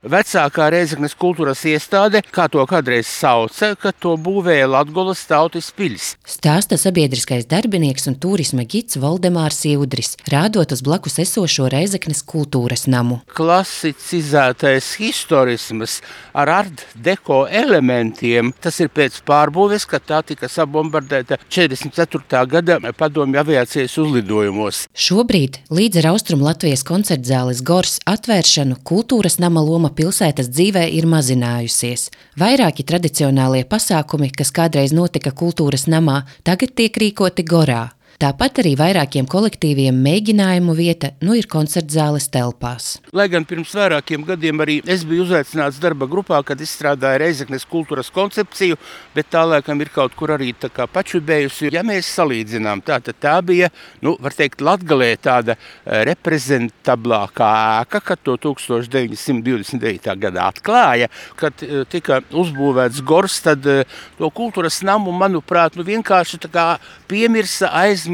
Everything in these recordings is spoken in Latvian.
Vecākā Rēzeknes kultūras iestāde, kā to kādreiz sauca, kad to būvēja Latgolas tautas piļs. Stāsta sabiedriskais darbinieks un turisma gids Voldemārs Iudris, rādot uz blakus esošo Rēzeknes kultūras namu. Klasicizētais historisms ar art deko elementiem, tas ir pēc pārbūves, kad tā tika sabombardēta 44. gada padomju aviācijas uzlidojumos. Šobrīd, līdz ar Austrumu Latvijas koncertzāles Gors atvēršanu, kultūras nama loma pilsētas dzīvē ir mazinājusies. Vairāki tradicionālie pasākumi, kas kādreiz notika kultūras namā, tagad tiek rīkoti Gorā. Tāpat arī vairākiem kolektīviem mēģinājumu vieta ir koncertzāles telpās. Lai gan pirms vairākiem gadiem arī es biju uzaicināts darba grupā, kad izstrādāja Rēzeknes kultūras koncepciju, bet tā laikam ir kaut kur arī tā kā pačubējusi. Ja mēs salīdzinām, tā bija, var teikt, Latgalē tāda reprezentablākā ēka, kad to 1929. gadā atklāja, kad tika uzbūvēts Gors, tad to kultūras namu, manuprāt, vienkārši tā kā piemirsa, aizmirsa.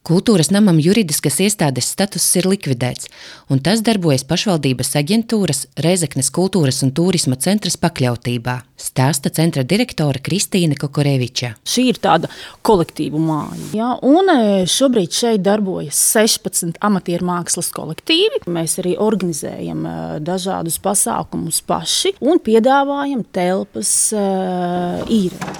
Kultūras namam juridiskas iestādes status ir likvidēts, un tas darbojas pašvaldības aģentūras Rēzeknes kultūras un turisma centras pakļautībā, stāsta centra direktore Kristīne Kokoreviča. Šī ir tāda kolektīvu māja. Ja? Un šobrīd šeit darbojas 16 amatieru mākslas kolektīvi. Mēs arī organizējam dažādus pasākumus paši un piedāvājam telpas īrē.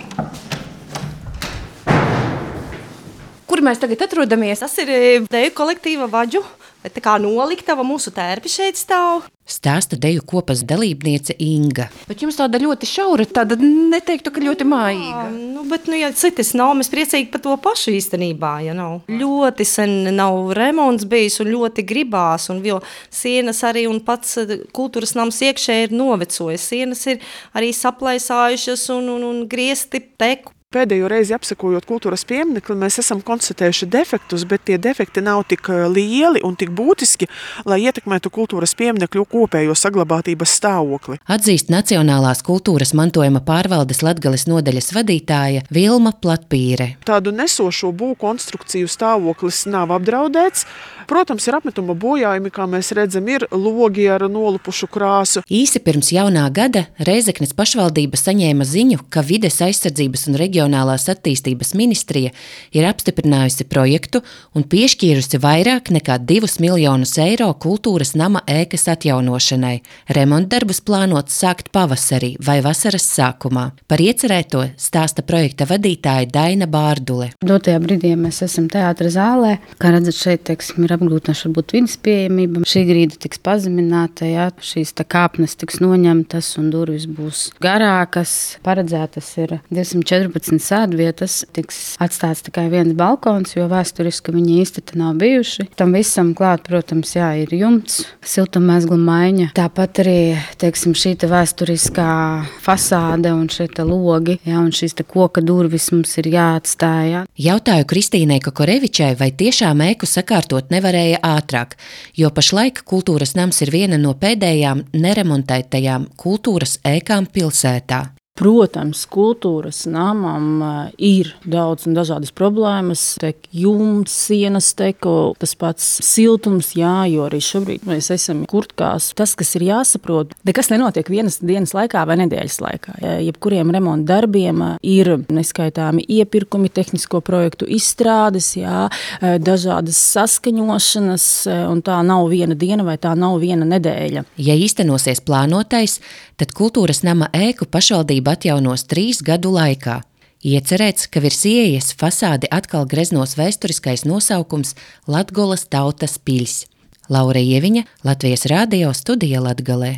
Kur mēs tagad atrodamies? Tas ir deju kolektīva Vaģu, tā kā noliktava, mūsu tērpi šeit stāv. Stāsta deju kopas dalībniece Inga. Bet jums tāda ļoti šaura, tāda neteiktu, ka ļoti mājīga. Bet, ja citas nav, mēs priecīgi par to pašu īstenībā, ja nav. Ļoti sen nav remonts bijis un ļoti gribās, un vēl sienas arī un pats kultūras nams iekšē ir novecojis. Sienas ir arī saplaisājušas un griezti teku. Pēdējo reizi apsekojot kultūras pieminekli, mēs esam konstatējuši defektus, bet tie defekti nav tik lieli un tik būtiski, lai ietekmētu kultūras pieminekļu kopējo saglabātības stāvokli. Atzīst Nacionālās kultūras mantojuma pārvaldes Latgales nodaļas vadītāja Vilma Platpīre. Tādu nesošo būvkonstrukciju stāvoklis nav apdraudēts. Protams, ir apmetuma bojājumi, kā mēs redzam, ir logi ar nolupušu krāsu. Īsi pirms jaunā gada Rēzeknes pašvaldība saņēma ziņu, ka Vides aizsardzības un reģionālās attīstības ministrija ir apstiprinājusi projektu un piešķīrusi vairāk nekā 2 miljonus eiro kultūras nama ēkas atjaunošanai. Remontdarbus plānots sākt pavasarī vai vasaras sākumā. Par iecerēto stāsta projekta vadītāja Daina Bārdule. Dotajā brīdī mēs esam teātra zālē. Kā redzat, šeit, ir apgrūtināts varbūt vidas pieejamība. Šī grīda tiks pazemināta, šīs kāpnes tiks noņemtas un durvis būs garākas. Paredzētas ir 214 sēdvietas, tiks atstāts tikai viens balkons, jo vēsturiski viņi īsti te nav bijuši. Tam visam klāt, protams, ir jumts, siltummēzgla maiņa. Tāpat arī, šī vēsturiskā fasāde un šie logi, un šīs koka durvis mums ir jāatstāj. Jautāju Kristīnei Kokorevičai, vai tiešām ēku sakārtot nevarēja ātrāk, jo pašlaik kultūras nams ir viena no pēdējām neremontētajām kultūras ēkām pilsētā. Protams, kultūras namam ir daudz un dažādas problēmas. Tek jumts, sienas teko, tas pats siltums, jo arī šobrīd mēs esam kurtkās. Tas, kas ir jāsaprot, nekas nenotiek vienas dienas laikā vai nedēļas laikā. Jebkuriem remonta darbiem ir neskaitāmi iepirkumi, tehnisko projektu izstrādes, dažādas saskaņošanas, un tā nav viena diena vai tā nav viena nedēļa. Ja īstenosies plānotais, tad kultūras nama ēku pašvaldība atjaunos 3 gadu laikā. Iecerēts, ka virs ieejas fasādi atkal greznos vēsturiskais nosaukums Latgolas tautas piļs. Laura Ieviņa, Latvijas radio studija Latgalē.